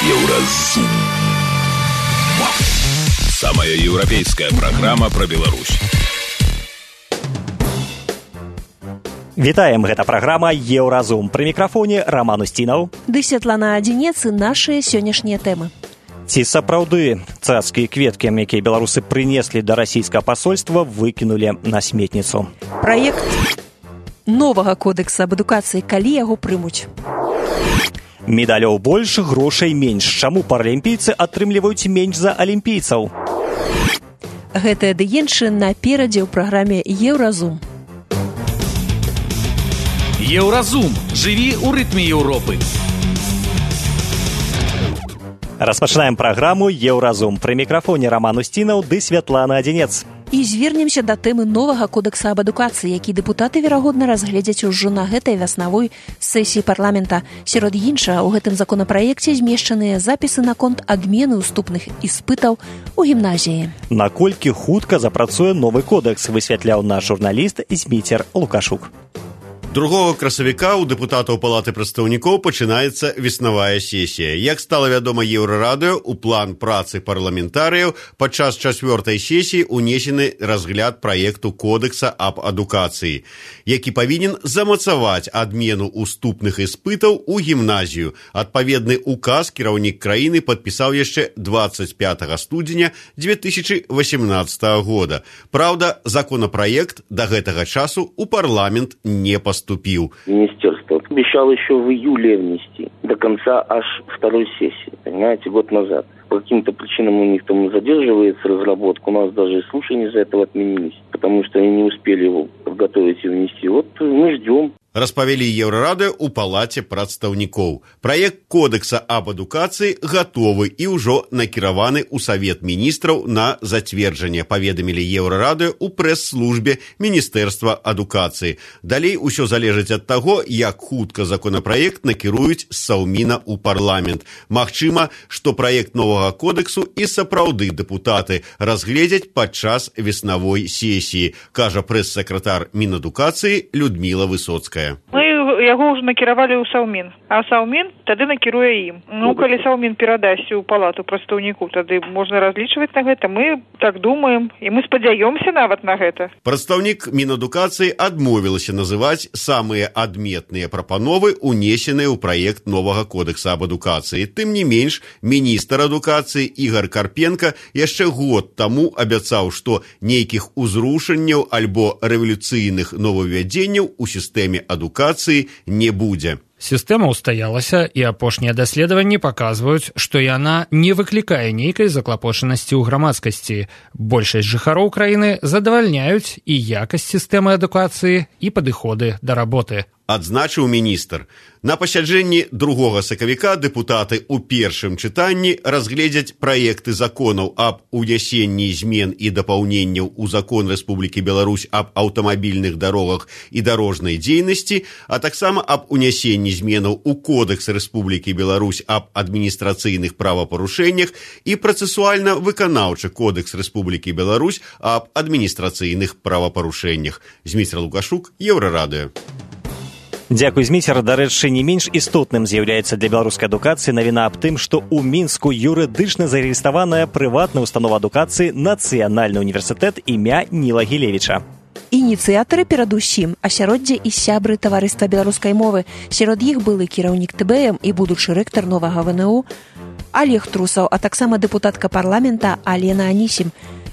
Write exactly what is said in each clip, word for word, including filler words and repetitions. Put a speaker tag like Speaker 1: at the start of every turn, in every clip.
Speaker 1: Еўразум. Самая европейская программа про Беларусь.
Speaker 2: Вітаем, гэта праграма Еўразум. Пры мікрафоне Роман Устінаў.
Speaker 3: Ды Святлана Адзінец і нашыя сённяшнія тэмы.
Speaker 2: Ці сапраўды цацкія кветкі, якія беларусы прынеслі да расійскага пасольства, выкінулі на сметніцу?
Speaker 3: Праект новага кодекса аб адукацыі, калі яго прымуць?
Speaker 2: Медалёў больш, грошай менш. Чаму паралімпійцы атрымліваюць менш за алімпійцаў?
Speaker 3: Гэтыя ды іншыя наперадзе ў праграме Еўразум.
Speaker 4: Еўразум. Жыві ў рытме Еўропы.
Speaker 2: Распачынаем праграму Еўразум. Пры мікрафоне Роман Устінаў ды Святлана Адзінец.
Speaker 3: І звернемся да тэмы новага кодекса аб адукацыі, які дэпутаты, верагодна, разгледзяць ужо на гэтай вясновой сесіі парламента. Сярод іншага, у гэтым законапраекце змешчаныя запісы наконт адмены уступных іспытаў у гімназіі.
Speaker 2: Наколькі хутка запрацуе новы кодекс, высвятляў наш журналіст Зміцер Лукашук.
Speaker 5: Другога красавіка ў дэпутатаў Палаты прадстаўнікоў пачынаецца веснавая сесія. Як стала вядома Еўрарадыё, у план працы парламентарыяў падчас чацвёртай сесіі унесены разгляд праекту кодекса аб адукацыі, які павінен замацаваць адмену уступных іспытаў у гімназію. Адпаведны указ кіраўнік краіны падпісаў яшчэ дваццаць пятага студзеня дзве тысячы васямнаццатага года. Праўда, законапраект да гэтага часу ў парламент не паступіў.
Speaker 6: Министерство обещало еще в июле внести, до конца аж второй сессии, понимаете, год назад. По каким-то причинам у них там задерживается разработка, у нас даже и слушания из-за этого отменились, потому что они не успели его подготовить и внести. Вот мы ждем.
Speaker 5: Распавялі Еўрарадыё ў Палаце прадстаўнікоў. Праект кодекса аб адукацыі гатовы і ўжо накіраваны ў Савет міністраў на зацверджанне, паведамілі Еўрарадыё ў прэс-службе Міністэрства адукацыі. Далей усё залежыць ад таго, як хутка законапраект накіруюць з Саўміна ў парламент. Магчыма, што праект новага кодексу і сапраўды дэпутаты разгледзяць падчас веснавой сесіі, кажа прэс-сакратар Мінадукацыі Людміла Высоцкая.
Speaker 7: Мы яго ўжо накіравалі ў Саўмін, а Саўмін тады накіруе ім. Ну, калі Саўмін перадасць у Палату прадстаўнікоў, тады можна разлічваць на гэта. Мы так думаем, і мы спадзяёмся нават на гэта.
Speaker 5: Прадстаўнік Мінадукацыі адмовілася называць самыя адметныя прапановы, унесеныя ў праект новага кодекса аб адукацыі. Тым не менш, міністр адукацыі Ігар Карпенка яшчэ год таму абяцаў, што нейкіх узрушэнняў альбо рэвалюцыйных новаўвядзенняў у сістэме адукацыі не будзе.
Speaker 8: Сістэма ўстаялася, і апошнія даследаванні паказваюць, што яна не выклікае нейкай заклапочанасці ў грамадскасці. Большасць жыхароў краіны задавальняюць і якасць сістэмы адукацыі, і падыходы да работы.
Speaker 5: Адзначыў міністр. На пасяджэнні другога сакавіка дэпутаты ў першым чытанні разгледзяць праекты законаў аб унясенні змен і дапаўненняў у закон Рэспублікі Беларусь аб аўтамабільных дарогах і дарожнай дзейнасці, а таксама аб унясенні зменаў у Кодекс Рэспублікі Беларусь аб адміністрацыйных правапарушэннях і працэсуальна-выканаўчы Кодекс Рэспублікі Беларусь аб адміністрацыйных правапарушэннях. Зміцер Лукашук, Еўрарадыё.
Speaker 2: Дзякуй, Зміцер. Дарэчы, не менш істотным з'яўляецца для беларускай адукацыі навіна аб тым, што ў Мінску юрыдычна зарэгістраваная прыватная установа адукацыі Нацыянальны універсітэт імя Ніла Гілевіча.
Speaker 3: Ініцыятары перадусім асяроддзе і сябры таварыства беларускай мовы. Сярод іх былы кіраўнік тэ бэ эм і будучы рэктар новага вэ эн у Олег Трусаў, а таксама дэпутатка парламента Алена Анісім.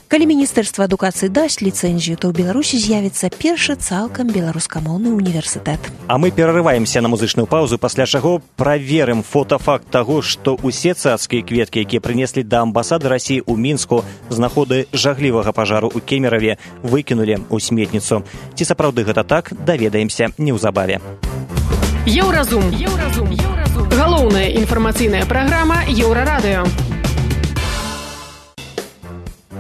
Speaker 3: Калі Міністэрства адукацыі дасць ліцэнзію, то ў Беларусі з'явіцца першы цалкам беларускамоўны універсітэт.
Speaker 2: А мы перарываемся на музычную паузу, пасля чаго праверым фотафакт таго, што ўсе цацкія кветкі, якія прынеслі да амбасады Расіі ў Мінску з нагоды жаглівага пажару ў Кемераве, выкінулі ў сметніцу. Ці сапраўды гэта так, даведаемся неўзабаве.
Speaker 9: Еўразум. Еўразум. Еўразум. Галоўная інфармацыйная праграма Еўрарадыё.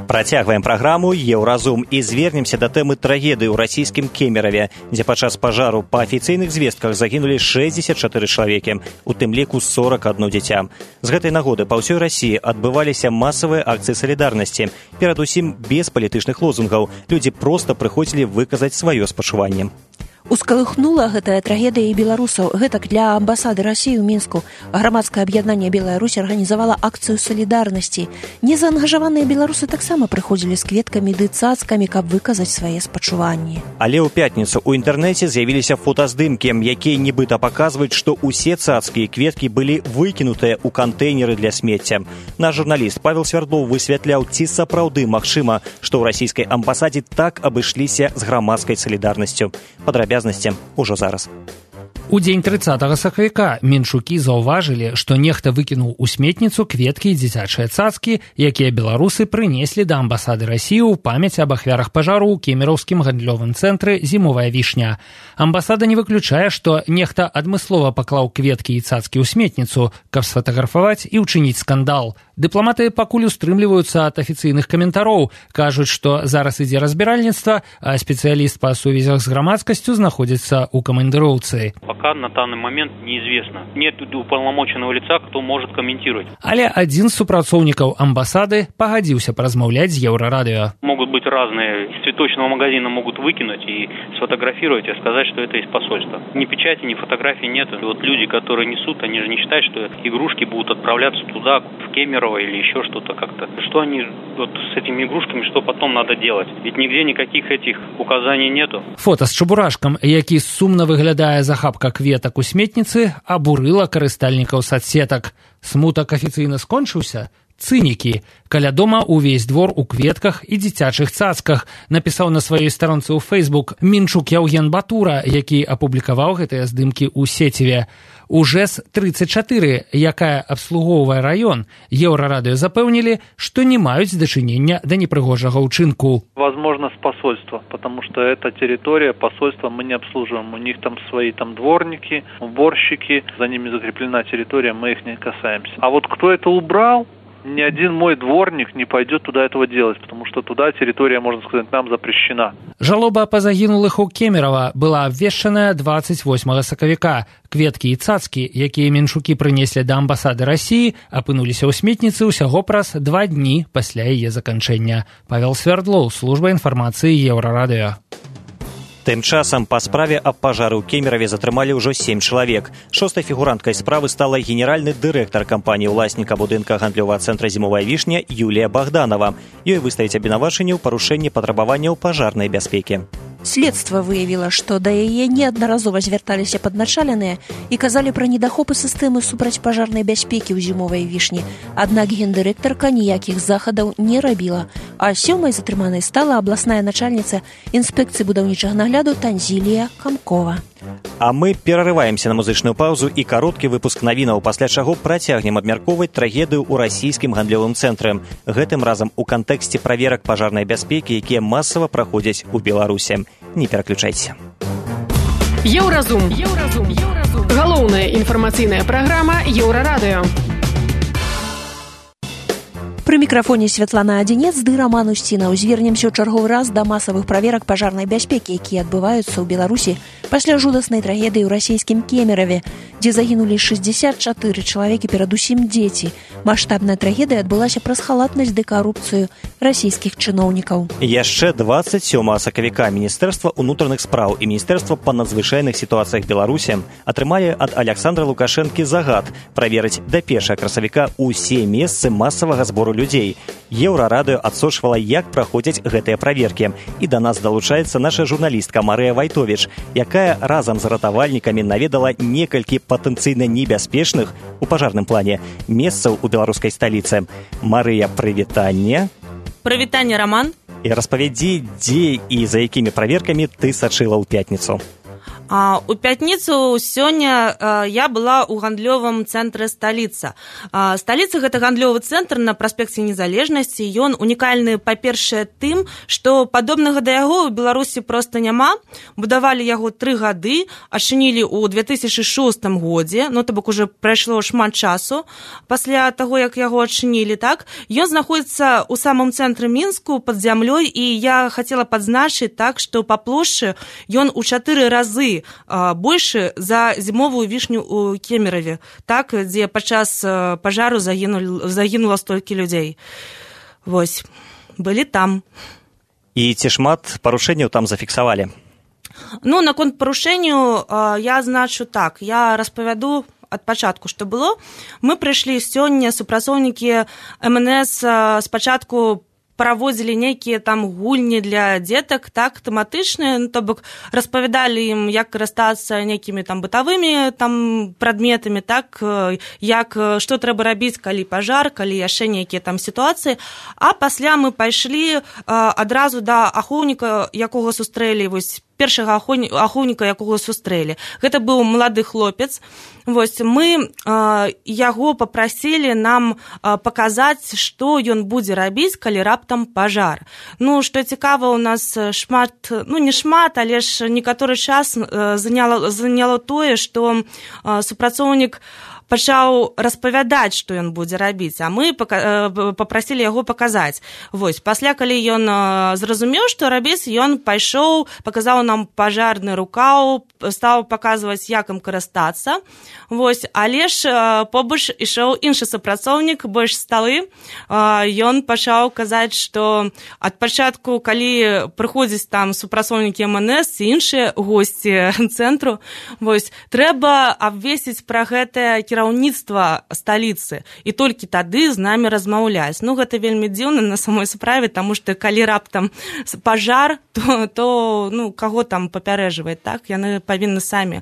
Speaker 2: Працягваем праграму Еўразум і звернемся да тэмы трагедыі ў расійскім Кемераве, дзе падчас пажару па афіцыйных звестках загінулі шэсцьдзесят чатыры чалавекі, у тым ліку сорок адно дзіця. З гэтай нагоды па ўсёй Расіі адбываліся масавыя акцыі салідарнасці, перадусім без палітычных лозунгаў. Людзі проста прыходзілі выказаць сваё спачуванне.
Speaker 3: Ускалыхнула гэтая трагедыя і беларусаў. Гэтак для амбасады Расіі ў Мінску грамадскае аб'яднанне «Белая Русь» арганізавала акцыю салідарнасці. Незаангажаваныя беларусы таксама прыходзілі з кветкамі ды цацкамі, каб выказаць свае спачуванні. Але ў пятніцу ў інтэрнэце з'явіліся фотаздымкі, якія нібыта паказваюць, што ўсе цацкі і кветкі былі выкінутыя ў кантэйнеры для смецця. Наш журналіст Павел Свердлов высвятляў, ці сапраўды магчыма, што ў расійскай амбасадзе так абышліся з грамадскай салідарнасцю. Падрабязна ўжо зараз. У дзень трыццатага сакавіка менчукі заўважылі, што нехта выкінуў у сметніцу кветкі і дзіцячыя цацкі, якія беларусы прынеслі да амбасады Расіі ў памяць аб ахвярах пажару ў кемераўскім гандлёвым цэнтры «Зімовая вішня». Амбасада не выключае, што нехта адмыслова паклаў кветкі і цацкі ў сметніцу, каб сфотаграфаваць і ўчыніць скандал. Дыпламаты пакуль устрымліваюцца ад афіцыйных каментароў, кажуць, што зараз ідзе разбіральніцтва, а спецыяліст па сувязях з грамадскасцю знаходзіцца ў камандыроўцы.
Speaker 10: Пока на данный момент неизвестно. Нет уполномоченного лица, кто может комментировать.
Speaker 8: Але один з супрацоўнікаў амбасады пагадзіўся паразмаўляць з Еўрарадыё.
Speaker 10: Могут быть разные. Из цветочного магазина могут выкинуть и сфотографировать, и сказать, что это из посольства. Ни печати, ни фотографий нет. И вот люди, которые несут, они же не считают, что игрушки будут отправляться туда, в Кемерово или еще что-то как-то. Что они вот с этими игрушками, что потом надо делать? Ведь нигде никаких этих указаний нету.
Speaker 8: Фото з чабурашкам, які сумна выглядае захапка кветак у сметніцы, абурыла карыстальнікаў садсетак. Смутак афіцыйна скончыўся? Цынікі. Каля дома увесь двор у кветках і дзіцячых цацках, напісаў на сваёй старонцы ў Фейсбук Мінчук Яўген Батура, які апублікаваў гэтыя здымкі ў сеціве. У ЖЭС тридцать четыре, якая абслугоўвае раён, Еўрарадыё запэўнілі, што не маюць дачынення да непрыгожага ўчынку.
Speaker 11: Возможно, с посольства, потому что эта территория посольства мы не обслуживаем. У них там свои там дворники, уборщики, за ними закреплена территория, мы их не касаемся. А вот кто это убрал? Ни один мой дворник не пойдет туда этого делать, потому что туда территория, можно сказать, нам запрещена.
Speaker 8: Жалоба па загінулых у Кемерово была абвешчаная двадцать восьмага сакавіка. Кветкі і цацкі, якія менчукі прынеслі да амбасады Расіі, апынуліся ў сметніцы ўсяго праз два дні пасля яе заканчэння. Павел Свердлов, служба інфармацыі Еўрарадыё.
Speaker 2: Тым часам па справе аб пажары ў Кемераве затрымалі ўжо сем чалавек. Шостай фігуранткай справы стала генеральны дырэктар кампаніі ўласніка будынка гандлёвага цэнтра «Зімовая вішня» Юлія Богданова. Ёй выставіць абвінавачанне ў парушэнні патрабаванняў пажарнай бяспекі.
Speaker 3: Следства выявіла, што да яе неаднаразова звярталіся падначаленыя і казалі пра недахопы сістэмы супрацьпажарнай бяспекі ў «Зімовай вішні». Аднак гендырэктарка ніякіх захадаў не рабіла. А сёмай затрыманай стала абласная начальніца інспекцыі будаўнічага нагляду Танзілія Камкова.
Speaker 2: А мы перарываемся на музычную паузу і кароткі выпуск навінаў, пасля чаго працягнем абмяркоўваць трагедыю ў расійскім гандлёвым цэнтры. Гэтым разам у кантэксце праверак пажарнай бяспекі, якія масава праходзяць у Беларусі. Не пераключайся.
Speaker 9: Еўразум. Еўразум. Еўразум. Галоўная інфармацыйная праграма Еўрарадыё.
Speaker 3: Пры мікрафоне Святлана Адзінец ды Раман Усцінаў. Звернемся ў чарговы раз да масавых праверак пажарнай бяспекі, якія адбываюцца ў Беларусі пасля жудаснай трагедыі ў расійскім Кемераве, дзе загінулі шэсцьдзесят чатыры чалавекі, перадусім дзеці. Маштабная трагедыя адбылася праз халатнасць ды карупцыю расійскіх чыноўнікаў.
Speaker 2: Яшчэ двадцать сёмага сакавіка Міністэрства ўнутраных спраў і Міністэрства па надзвычайных сітуацыях Беларусі атрымалі ад Аляксандра Лукашэнкі загад праверыць да першага красавіка ўсе месцы масавага збору людзей. Еўрарадыё адсочвала, як праходзяць гэтыя праверкі. І да нас далучаецца наша журналістка Марыя Вайтовіч, якая разам з ратавальнікамі наведала некалькі патэнцыйна небяспечных у пажарным плане месцаў у беларускай сталіцы. Марыя, прывітанне.
Speaker 12: Прывітанне, Раман.
Speaker 2: І распавядзі, дзе і за якімі праверкамі ты сачыла ў пятніцу.
Speaker 12: А, у пятніцу сёння а, я была ў гандлёвым цэнтры сталіца. А, сталіца гэта гандлёвы цэнтр на праспекце Незалежнасці. Ён унікальны, па-першае, тым, што падобнага да яго ў Беларусі проста няма. Будавалі яго тры гады, адчынілі ў две тысячы шостым годзе, ну то бок уже прайшло шмат часу пасля таго, як яго адчынілі, так? Ён знаходзіцца ў самым цэнтры Мінску пад зямлёй, і я хацела падзначыць так, што па плошчы ён у чатыры разы больше за зімовую вішню ў Кемераве, так, дзе падчас пажару загінула, загінула столькі людзей. Вось, былі там.
Speaker 2: І ці шмат парушэнняў там зафіксавалі?
Speaker 12: Ну, наконт парушэнню я значу так, я распавяду ад пачатку, што было. Мы прыйшлі сёння, супрацоўнікі эм эн эс спачатку праводзілі нейкія там гульні для дзетак, так, тэматычныя, ну, то бок распавядалі ім, як карыстацца нейкімі там бытавымі там прадметамі, так, як, што трэба рабіць, калі пажар, калі яшчэ нейкія там сітуацыі. А пасля мы пайшлі адразу да ахоўніка, якога сустрэлі, вось, першага ахоўніка, якога сустрэлі. Гэта быў малады хлопец. Вось, мы э, яго папрасілі нам э, паказаць, што ён будзе рабіць, калі раптам пажар. Ну, што цікава, у нас шмат, ну, не шмат, але ж некаторы час э, заняло, заняло тое, што э, супрацоўнік пачаў распавядаць, што ён будзе рабіць, а мы папрасілі яго паказаць. Вось, пасля, калі ён зразумеў, што рабіць, ён пайшоў, паказаў нам пажарны рукаў, стаў паказваць, як ім карыстацца. Вось, але ж побач ішоў іншы супрацоўнік, больш сталы. Ён пачаў казаць, што ад пачатку, калі прыходзяць там супрацоўнікі эм эн эс і іншыя госці цэнтру, вось, трэба абвесціць пра гэтае кіраўніцтва сталіцы, і толькі тады з намі размаўляць. Ну, гэта вельмі дзіўна на самой справе, таму што калі раптам пажар, то, то ну, каго там папярэджваць, так? Яны павінны самі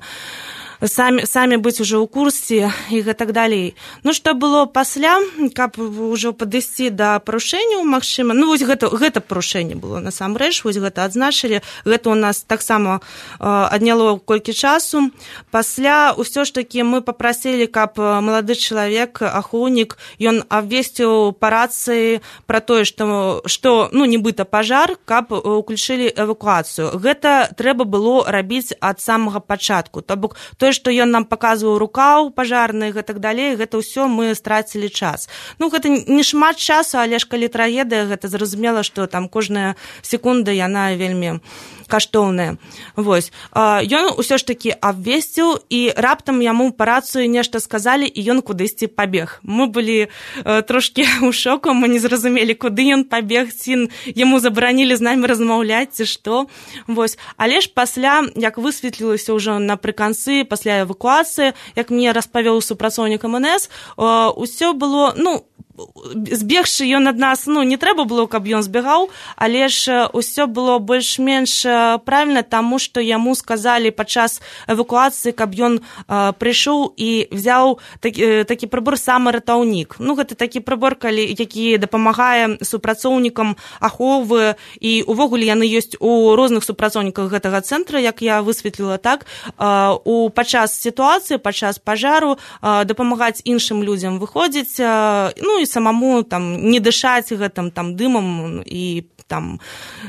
Speaker 12: самі, самі быць ужо ў курсе і гэтак далей. Ну, што было пасля, каб ужо падысці да парушэнняў, магчыма, ну, вось гэта, гэта парушэнне было насамрэч, вось гэта адзначылі, гэта у нас таксама э, адняло колькі часу. Пасля ўсё ж такі мы папрасілі, каб малады чалавек, ахоўнік, ён абвесціў па рацыі пра тое, што, што ну, нібыта пажар, каб уключылі эвакуацыю. Гэта трэба было рабіць ад самага пачатку, то бок тое, што ён нам паказваў рукаў пажарны і гэтак далей, гэта ўсё мы страцілі час. Ну, гэта не шмат часу, але ж калі трагедыя, гэта зразумела, што там кожная секунда, яна вельмі каштоўная. Вось. Ён усё ж такі абвесціў, і раптам яму па рацыю нешта сказалі, і ён кудысьці пабег. Мы былі трошкі ў шоку, мы не зразумелі, куды ён пабег, ці яму забаранілі з намі размаўляць, ці што. Вось. Але ж пасля, як высветлілася ўжо напрыканцы, пасля эвакуацыі, як мне распавёў супрацоўнік эм эн эс, усё было, ну, збегшы ён ад нас, ну, не трэба было, каб ён збегаў, але ж усё было больш-менш правільна, таму што яму сказалі падчас эвакуацыі, каб ён э, прыйшоў і взяў такі, такі прыбор самаратаўнік. Ну, гэта такі прыбор, калі, які дапамагае супрацоўнікам аховы, і увогуле яны ёсць у розных супрацоўніках гэтага цэнтра, як я высветліла, так, э, у падчас сітуацыі, падчас пажару э, дапамагаць іншым людзям выходзіць, э, ну, і самому там не дышаць гэтым там дымам і там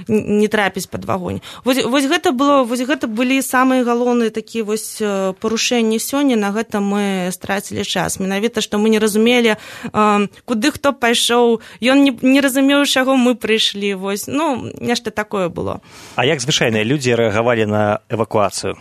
Speaker 12: не трапіць пад агонь. Вось, вось гэта было, вось гэта былі самыя галоўныя такія вось парушэнні сёння, на гэта мы страцілі час. Менавіта, што мы не разумелі, э, куды хто пайшоў, ён не, не разумеў, чаго мы прыйшлі, вось, ну, нешта такое было.
Speaker 2: А як звычайныя людзі рэагавалі на эвакуацыю?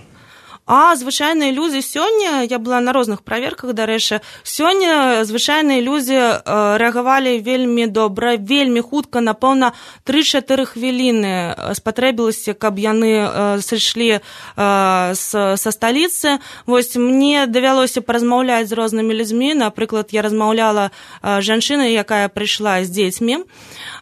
Speaker 12: А звычайныя людзі сёння, я была на розных праверках, дарэчы, сёння звычайныя людзі рэагавалі вельмі добра, вельмі хутка, напэўна, тры-чатыры хвіліны спатрэбілася, каб яны сышлі са сталіцы. Вось мне давялося паразмаўляць з рознымі людзьмі, напрыклад, я размаўляла жанчына, якая прыйшла з дзецьмі.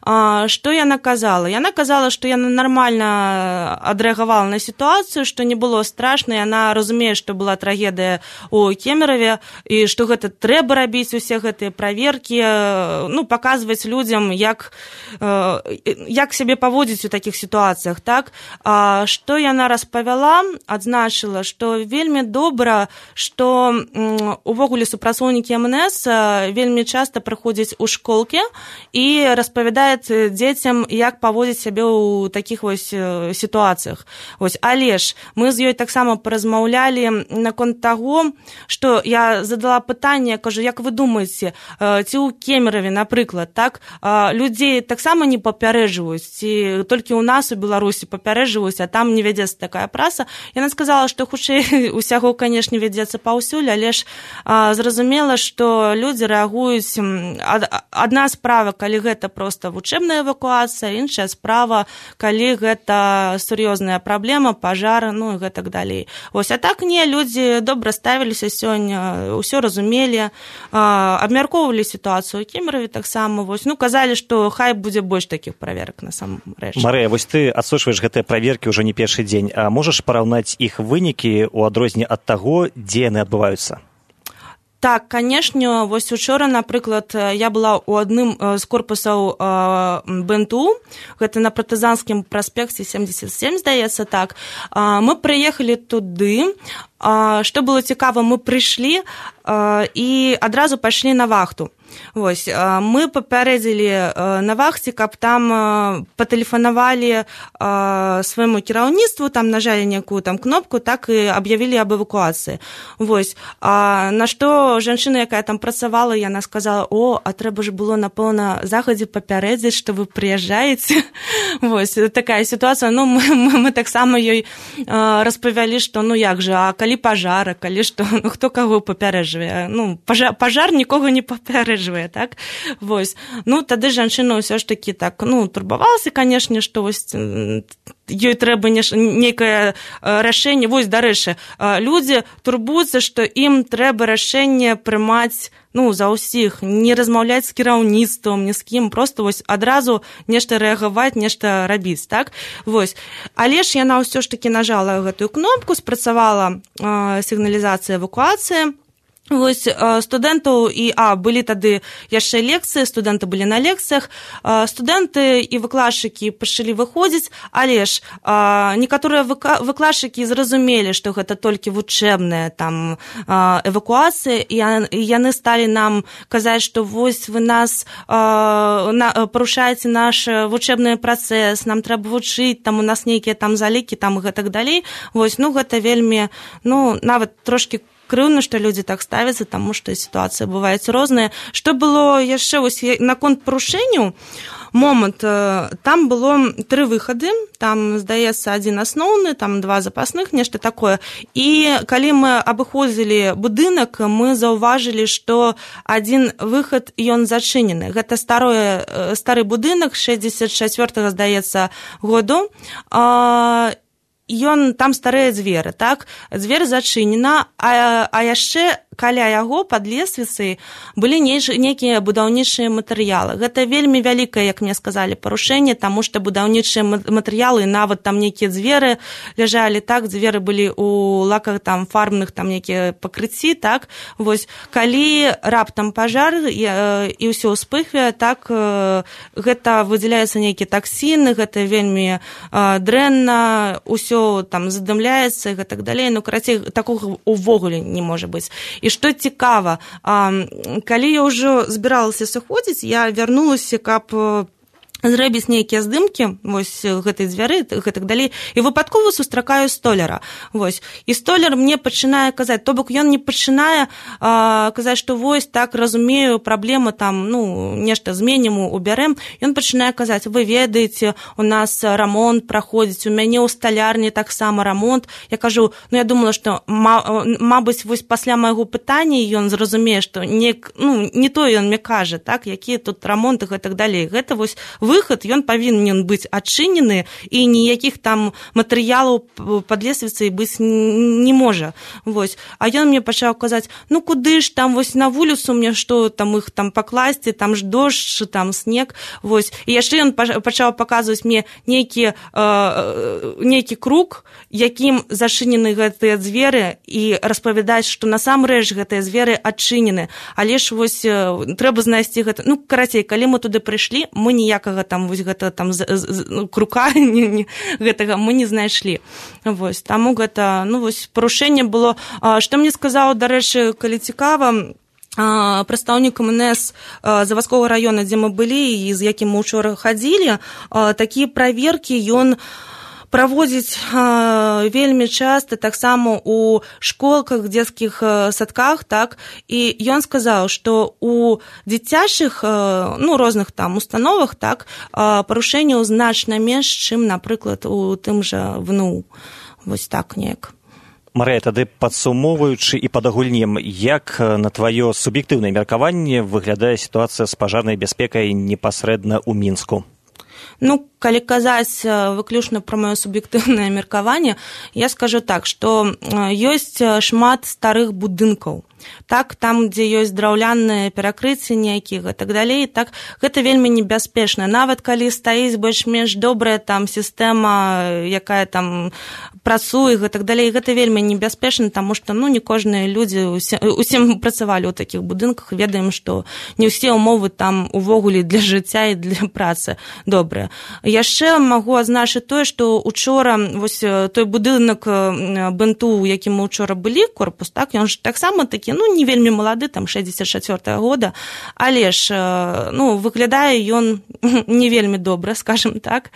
Speaker 12: Што яна казала? Яна казала, што яна нармальна адрэагавала на сітуацыю, што не было страшна, яна разумее, што была трагедыя ў Кемераве, і што гэта трэба рабіць, усе гэтыя праверкі, ну, паказваць людзям, як, як сябе паводзіць у такіх сітуацыях, так? Што яна распавяла, адзначыла, што вельмі добра, што увогуле супрацоўнікі эм эн эс вельмі часта прыходзяць у школкі і распавядаюць дзецям, як паводзіць сябе ў такіх вось сітуацыях. Вось, але ж мы з ёй таксама паразмаўлялі, размаўлялі наконт таго, што я задала пытанне, кажу, як вы думаеце, ці ў Кемераве, напрыклад, так, людзей таксама не папярэджваюць, ці толькі ў нас у Беларусі папярэджваюць, а там не вядзецца такая праса. Яна сказала, што хутчэй усяго, канешне, вядзецца паўсюль, але ж зразумела, што людзі рэагуюць. Адна справа, калі гэта проста вучэбная эвакуацыя, іншая справа, калі гэта сур'ёзная праблема, пажар, ну і гэтак далей. Вось, а так не, людзі добра ставіліся сёння, ўсё разумелі, абмяркоўвалі сітуацыю ў Кемераве таксама, вось, ну, казалі, што хай будзе больш такіх праверак на самом рэч.
Speaker 2: Марыя, вось ты адсочваеш гэтыя праверкі ўжо не першы дзень, а можаш параўнаць іх вынікі ў адрозненне ад таго, дзе яны адбываюцца?
Speaker 12: Так, канешне, вось учора, напрыклад, я была ў адным з корпусаў бэ эн тэ у, гэта на Партызанскім праспекце семьдесят семь, здаецца, так. Мы прыехалі туды, што было цікава, мы прыйшлі і адразу пайшлі на вахту. Вось, мы папярэдзілі на вахце, каб там патэлефанавалі свайму кіраўніцтву, там нажалі некую там кнопку, так і аб'явілі аб эвакуацыі. Вось, на што жанчына, якая там працавала, яна сказала, о, а трэба ж было, напэўна, загадзя папярэдзіць, што вы прыязджаеце. Вось, такая сітуацыя. Ну, мы, мы, мы таксама ёй распавялі, што, ну, як жа, а калі пажара, калі што, ну, хто каго папярэджвае? Ну, пажар, пажар нікога не папярэджвае. Так? Вось. Ну, тады жанчына ўсё ж такі так, ну, турбавалася, канешне, што вось ёй трэба нейкае рашэнне. Вось, дарэчы, людзі турбуюцца, што ім трэба рашэнне прымаць, ну, за ўсіх, не размаўляць з кіраўніцтвам, ні з кім, просто вось адразу нешта рэагаваць, нешта рабіць, так? Вось. Але ж яна ўсё ж такі нажала гэтую кнопку, спрацавала э, сігналізацыя эвакуацыі. Вось, студэнтаў і, а, былі тады яшчэ лекцыі, студэнты былі на лекцыях, студэнты і выкладчыкі пачалі выходзіць, але ж некаторыя выкладчыкі зразумелі, што гэта толькі вучэбная там эвакуацыя, і яны сталі нам казаць, што вось вы нас парушаеце наш вучэбны працэс, нам трэба вучыць, там у нас нейкія там залікі, там і гэтак далей. Вось, ну, гэта вельмі, ну, нават трошкі крыўна, што людзі так ставяцца, таму што сітуацыі бываюць розныя. Што было яшчэ вось наконт парушэнняў, момант, там было тры выхады, там, здаецца, адзін асноўны, там два запасных, нешта такое. І калі мы абыходзілі будынак, мы заўважылі, што адзін выхад, ён зачынены. Гэта стары, стары будынак, шэсцьдзесят чацвёртага, здаецца, году, ён там старыя дзверы, так? Дзверь зачынена, а, а яшчэ каля яго пад лесвіцай былі нейкія будаўнічыя матэрыялы. Гэта вельмі вялікае, як мне сказалі, парушэнне, таму што будаўнічыя матэрыялы, нават там нейкія дзверы ляжалі, так, дзверы былі ў лаках там фарбных, там нейкія пакрыцці, так? Вось, калі раптам пажар і, і ўсё ўспыхвае, так, гэта выдзяляецца нейкія таксіны, гэта вельмі дрэнна, ўсё там задымляецца і гэтак далей, ну, карацей, такога увогуле не можа быць. І што цікава, калі я ўжо збіралася сыходзіць, я вярнулася, каб зрабіць нейкія здымкі, вось, гэтай дзвяры, гэтак далей, і выпадкова сустракаю столяра. Вось. І столяр мне пачынае казаць, то бок ён не пачынае а, казаць, што вось, так, разумею, праблема там, ну, нешта зменім, убярэм. Ён пачынае казаць, вы ведаеце, у нас рамонт праходзіць, у мяне ў сталярні таксама рамонт. Я кажу, ну, я думала, што, мабыць, вось пасля майго пытання ён зразумее, што не, ну, не то ён мне кажа, так, якія тут рамонты, гэтак далей. Гэта вось выхад, ён павінен быць адчынены, і ніякіх там матэрыялаў пад лесвіцай быць не можа. Вось. А ён мне пачаў казаць, ну куды ж там, вось на вуліцу мне што там іх там пакласці, там ж дождж, там снег. Вось. І яшчэ ён пачаў паказваць мне нейкі, э, нейкі круг, якім зачынены гэтыя дзверы, і распавядаць, што насамрэч гэтыя дзверы адчынены. Але ж вось трэба знайсці гэта. Ну, карацей, калі мы туды прыйшлі, мы ніякага там вось гэта там з, з, з, крука не, не, гэтага мы не знайшлі. Вось, таму гэта, ну, вось парушэнне было. А, што мне сказаў, дарэчы, калі цікава, а, прадстаўнік эм эн эс а, завадскога раёна, дзе мы былі і з якім мы учора хадзілі, а, такія праверкі ён праводзіць э, вельмі часта таксама у школках, дзецкіх э, садках, так, і ён сказаў, што у дзіцячых э, ну, розных там установах, так, э, парушэнняў значна менш, чым, напрыклад, у тым жа ВНУ. Вось так неяк.
Speaker 2: Марыя, тады падсумоўваючы і падагульнем, як на тваё суб'ектыўнае меркаванне выглядае сітуацыя з пажарнай бяспекай непасрэдна ў Мінску?
Speaker 12: Ну, калі казаць выключна пра маё суб'ектыўнае меркаванне, я скажу так, што ёсць шмат старых будынкаў. Так, там, дзе ёсць драўляныя перакрыцці нейкіх і так далей, так, гэта вельмі небяспечна. Нават калі стаіць больш-менш добрая там сістэма, якая там працуе і так далей, гэта вельмі небяспечна, таму што, ну, не кожныя людзі, усе, усе мы працавалі ў такіх будынках, ведаем, што не ўсе ўмовы там увогуле для жыцця і для працы добрыя. Яшчэ магу адзначыць тое, што учора вось той будынак бэнту, у якім мы учора былі, корпус, так, ён ж таксама такі, ну, не вельмі малады, там шэсцьдзесят чацвёртага года, але ж, ну, выглядае ён не вельмі добра, скажем так.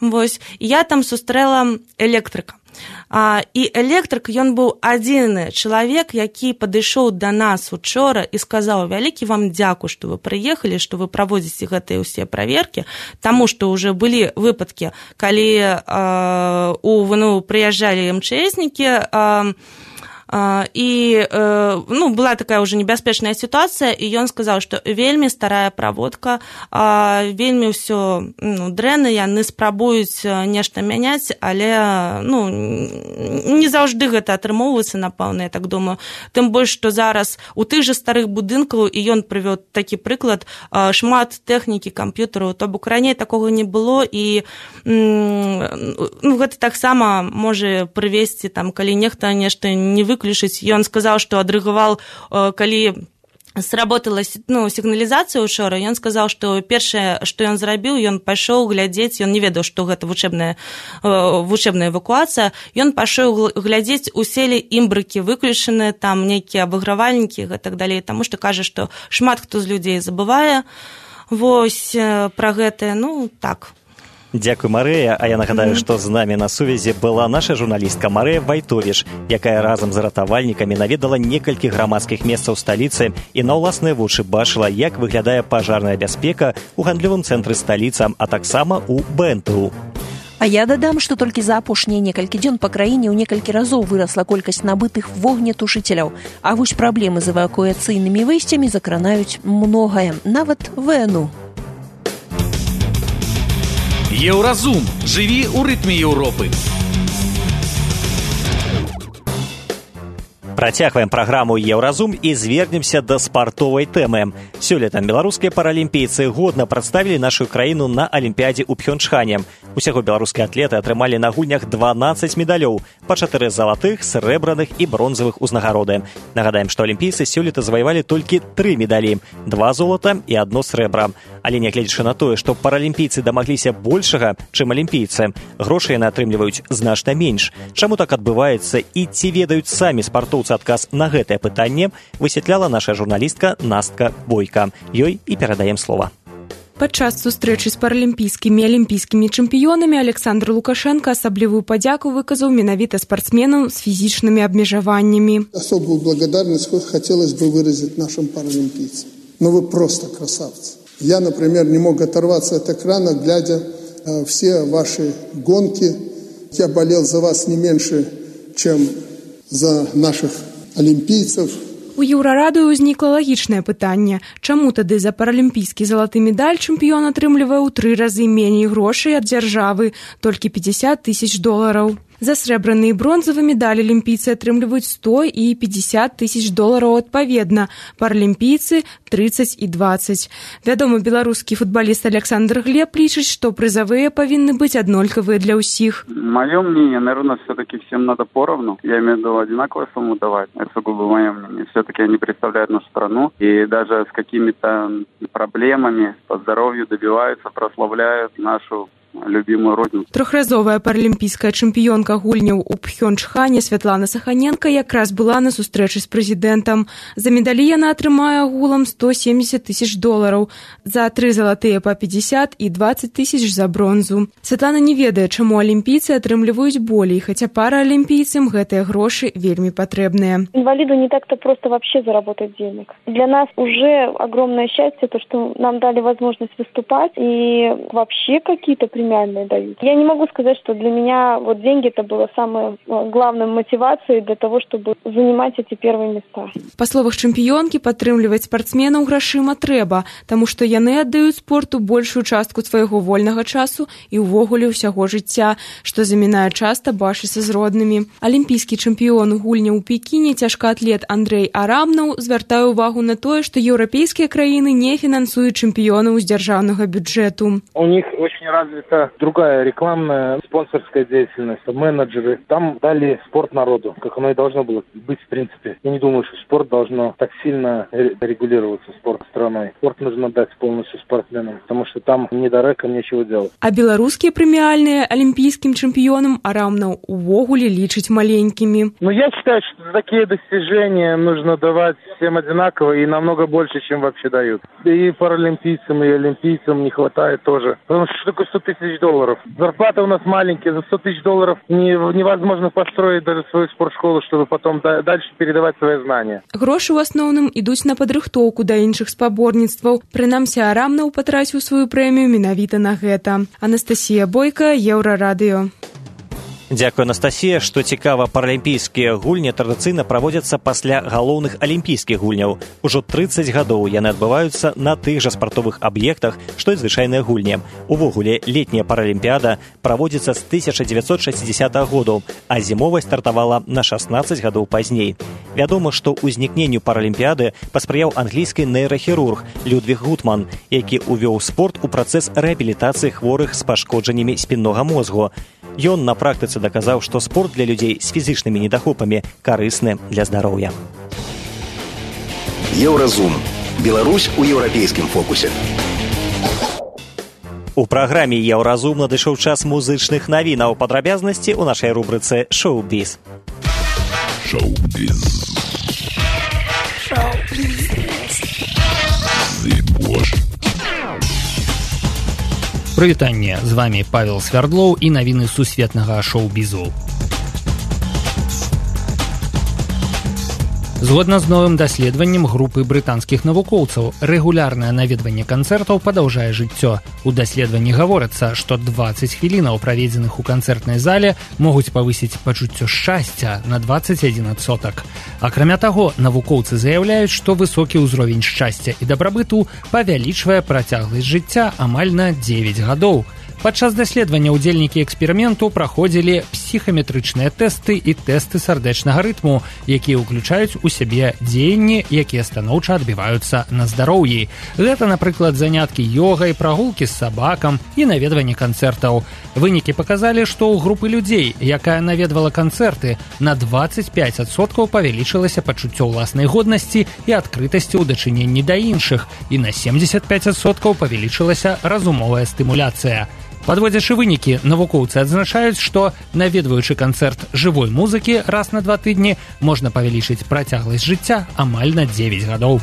Speaker 12: Вось, я там сустрэла электрыка. А, і электрык, ён быў адзіны чалавек, які падышоў да нас учора і сказаў: вялікі вам дзякуй, што вы прыехалі, што вы праводзіце гэтыя ўсе праверкі, таму што ўжо былі выпадкі, калі э, у ВНУ прыязджалі эм чэ эснікі, э, і ну, была такая ўжо небяспечная сітуацыя, і ён сказаў, што вельмі старая праводка, вельмі ўсё, ну, дрэнна, яны спрабуюць нешта мяняць, але, ну, не заўжды гэта атрымоўваецца, напэўна, я так думаю. Тым больш, што зараз у тых жа старых будынкаў, і ён прывёў такі прыклад, шмат тэхнікі, камп'ютараў, то бок раней такога не было, і ну, гэта таксама можа прывесці, там, калі нехта нешта не вы выключыць. Ён сказаў, што адрыгаваў, калі сработала, ну, сігналізацыя учора, ён сказаў, што першае, што ён зрабіў, ён пайшоў глядзець, ён не ведаў, што гэта вучэбная, вучэбная эвакуацыя, ён пайшоў глядзець, усе ли імбрыкі выключаны, там нейкія абагравальнікі і так далей, таму што кажа, што шмат хто з людзей забывае вось пра гэтае, ну, так.
Speaker 2: Дзякуй, Марыя, а я нагадаю, што з намі на сувязі была наша журналістка Марыя Вайтовіч, якая разам з ратавальнікамі наведала некалькі грамадскіх месцаў сталіцы і на ўласныя вочы бачыла, як выглядае пажарная бяспека ў гандлёвым цэнтры сталіцы, а таксама ў бэ эн тэ у.
Speaker 3: А я дадам, што толькі за апошнія некалькі дзён па краіне ў некалькі разоў вырасла колькасць набытых вогнетушыцеляў, а вось праблемы з эвакуацыйнымі выйсцямі закранаюць многае, нават вэ эн у.
Speaker 4: Еўразум. Жыві ў рытме Еўропы.
Speaker 2: Працягваем праграму «Еўразум» і звернемся да спартовай тэмы. Сёлета беларускія паралімпійцы годна прадставілі нашу краіну на Алімпіядзе ў Пхёнчхане. Усяго беларускія атлеты атрымалі на гульнях дванаццаць медалёў, па чатыры залатых, срэбраных і бронзавых узнагароды. Нагадаем, што алімпійцы сёлета заваявалі толькі тры медалі, два золата і адно срэбра. Але нягледзячы на тое, што паралімпійцы дамагліся большага, чым алімпійцы, грошы яны атрымліваюць значна менш. Чаму так адбываецца і ці ведаюць самі спартоўцы адказ на гэтае пытанне, высветляла наша журналістка Настка Бойка. Ёй і перадаем слова.
Speaker 13: Падчас сустрэчы з паралімпійскімі і алімпійскімі чэмпіёнамі Александр Лукашенко асаблівую падзяку выказаў менавіта спортсменам с физическими обмежеваниями.
Speaker 14: Особую благодарность хотелось бы выразить нашим паралимпийцам. Ну вы просто красавцы. Я, например, не мог оторваться от экрана, глядя э, все ваши гонки. Я болел за вас не меньше, чем за наших олимпийцев.
Speaker 13: У Еўрарадыё ўзнікла лагічнае пытанне. Чаму тады за паралімпійскі залаты медаль чэмпіён атрымлівае ў тры разы меней грошай ад дзяржавы, толькі пятьдесят тысяч долараў. За срэбраны і бронзавы медалі алімпійцы атрымліваюць сто і пятьдесят тысяч долараў адпаведна, паралімпійцы тридцать і двадцать. Вядомы беларускі футболіст Александр Глеб лічыць, што прызавыя павінны быць аднолькавыя для ўсіх.
Speaker 15: Мое мнение, наверное, все-таки всем надо поровну. Я имею в виду одинаковую сумму давать. Это сугубо мое мнение. Все-таки они представляют нашу страну и даже с какими-то проблемами по здоровью добиваются, прославляют нашу любимую родину.
Speaker 13: Трохразовая паралімпійская чэмпіёнка гульняў у Пхёнчхане Святлана Саханенко якраз была на сустрэчы з прэзідэнтам. За медалі яна атрымае агулам сто семьдесят тысяч долараў, за тры залатыя па пятьдесят і двадцать тысяч за бронзу. Святлана не ведае, чаму алімпійцы атрымліваюць болей, хаця параалімпійцам гэтыя грошы вельмі патрэбныя.
Speaker 16: Инвалиду не так-то просто вообще заработать денег. Для нас уже огромное счастье, то, что нам дали возможность выступать и вообще какие-то премиальные дают. Я не могу сказать, что для меня вот деньги это было самой главной мотивацией для того, чтобы занимать эти первые места.
Speaker 13: Па словах чэмпіёнкі, падтрымліваць спартсменаў грашыма трэба, таму што яны аддаюць спорту большую частку свайго вольнага часу і ўвогуле ўсяго жыцця, што замінае часта бачыцца з роднымі. Алімпійскі чэмпіён гульняў у Пекіне, цяжкаатлет Андрей Арамнаў звяртае ўвагу на тое, што еўрапейскія краіны не фінансуюць чэмпіёнаў з дзяржаўнага бюджэту.
Speaker 17: У них очень развита другая рекламная, спонсорская деятельность, менеджеры. Там дали спорт народу, как оно и должно было быть в принципе. Я не думаю, что спорт должно так сильно регулироваться, спорт страной. Спорт нужно дать полностью спортсменам, потому что там ни до рэка нечего делать.
Speaker 13: А беларускія прэміальныя алімпійскім чэмпіёнам Арамнаў увогуле лічыць маленькімі.
Speaker 17: Ну, я считаю, что за такие достижения нужно давать всем одинаково и намного больше, чем вообще дают. И паралимпийцам, и олимпийцам не хватает тоже. Потому что что такое сто тысяч долларов? Зарплата у нас маленькая, за сто тысяч долларов не, невозможно построить даже свою спортшколу, чтобы потом да, дальше передавать свои знания.
Speaker 13: Грошы ў асноўным ідуць на падрыхтоўку да іншых спаборніцтваў. Прынамсі, Арамнаў патраціў сваю прэмію менавіта на гэта. Анастасія Бойка, Еўрарадыё.
Speaker 2: Дзякую, Анастасія. Што цікава, паралімпійскія гульні традыцыйна праводзяцца пасля галоўных алімпійскіх гульняў. Ужо трыццаць гадоў яны адбываюцца на тых жа спартовых аб'ектах, што і звычайныя гульні. Увогуле, летняя паралімпіяда праводзіцца з тысяча дзевяцьсот шэсцідзесятага году, а зімовая стартавала на шаснаццаць гадоў пазней. Вядома, што ўзнікненню паралімпіяды паспрыяў англійскі нейрахірург Людвіг Гутман, які ўвёў спорт у працэс рэабілітацыі хворых з пашкоджаннямі спіннога мозгу. Ён на практыцы даказаў, што спорт для людзей з фізічнымі недахопамі карысны для здароўя.
Speaker 18: Еўразум. Беларусь у еўрапейскім фокусе.
Speaker 2: У праграме Еўразум надышоў час музычных навінаў. Падрабязнасці ў нашай рубрыцы «Шоу-біз».
Speaker 1: Шоу-біз.
Speaker 2: Шоу-біз.
Speaker 8: Прывітанне, з вами Павел Свярдлоў і навіны сусветнага шоу-бізу. Згодна з новым даследаваннем групы брытанскіх навукоўцаў, рэгулярнае наведванне канцэртаў падаўжае жыццё. У даследаванні гаворыцца, што дваццаць хвілінаў, праведзеных у канцэртнай зале, могуць павысіць пачуццё шчасця на дваццаць адзін адсотак. Акрамя таго, навукоўцы заяўляюць, што высокі ўзровень шчасця і дабрабыту павялічвае працягласць жыцця амаль на дзевяць гадоў. Падчас даследавання ўдзельнікі эксперыменту праходзілі псіхаметрычныя тэсты і тэсты сардэчнага рытму, якія ўключаюць у сябе дзеянні, якія станоўча адбіваюцца на здароўі. Гэта, напрыклад, заняткі ёгай, прагулкі з сабакам і наведванне канцэртаў. Вынікі паказалі, што ў групы людзей, якая наведвала канцэрты, на дваццаць пяць адсоткаў павялічылася пачуццё ўласнай годнасці і адкрытасці ў дачыненні да іншых, і на семдзесят пяць адсоткаў павялічылася разумовая стымуляцыя. Падводзячы вынікі, навукоўцы адзначаюць, што, наведваючы канцэрт жывой музыкі раз на два тыдні, можна павялічыць працягласць жыцця амаль на дзевяць гадоў.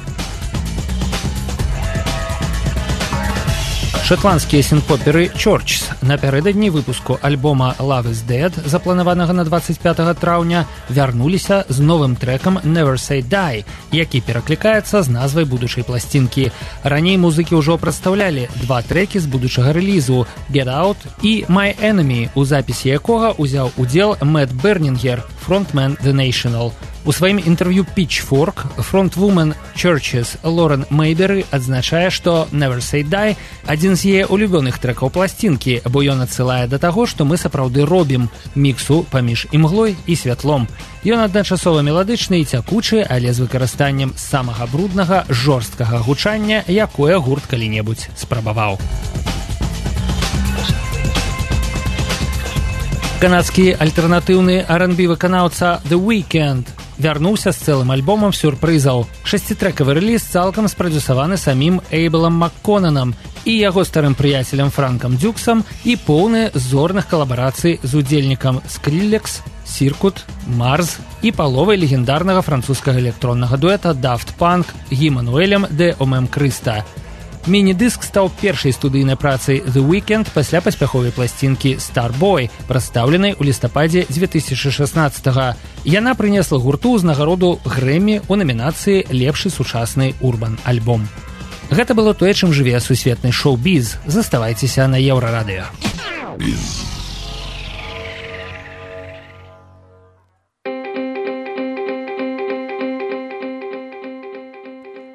Speaker 8: Шотландскія сінт-поперы Churches напярэдадні выпуску альбома Love is Dead, запланаванага на дваццаць пятага траўня, вярнуліся з новым трэкам Never Say Die, які пераклікаецца з назвай будучай пласцінкі. Раней музыкі ўжо прадстаўлялі два трэкі з будучага рэлізу Get Out і My Enemy, у запісе якога ўзяў удзел Мэтт Бернінгер, фронтмен The National. У сваім інтэрв'ю Pitchfork фронтвумен Churches Лорен Мейберы адзначае, што Never Say Die – адзін з яе улюбёных трэкаў пласцінкі, бо ён адсылае да таго, што мы сапраўды робім міксу паміж імглой і святлом. Ён адначасова меладычны і цякучы, але з выкарыстаннем самага бруднага, жорсткага гучання, якое гурт калі-небудзь спрабаваў. Канадскі альтэрнатыўны ар энд би выканаўца The Weeknd вярнуўся з цэлым альбомам сюрпрызаў. Шасцітрэкавы рэліз цалкам спрадюсаваны самім Эйблам Макконанам і яго старым прыяцелем Франкам Дюксам і поўны зорных калабарацый з удзельнікам Скриллекс, Сіркут, Марз і паловай легендарнага французскага электроннага дуэта Daft Punk Гімануэлем де Омем Крыста. Міні-дыск стаў першай студыйнай працай The Weeknd пасля паспяховай пласцінкі Starboy, прадстаўленай у лістападзе дзве тысячы шаснаццатага. Яна прынесла гурту ўзнагароду Грэмі ў намінацыі «Лепшы сучасны урбан-альбом». Гэта было тое, чым жыве сусветны шоу-біз. Заставайцеся на Еўрарадыё.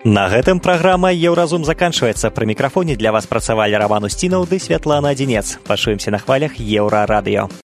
Speaker 2: На гэтым праграма «Еўразум» заканчваецца. Пры мікрафоне для вас працавалі Раман Усцінаў ды Святлана Адзінец. Пачуемся на хвалях Еўрарадыё.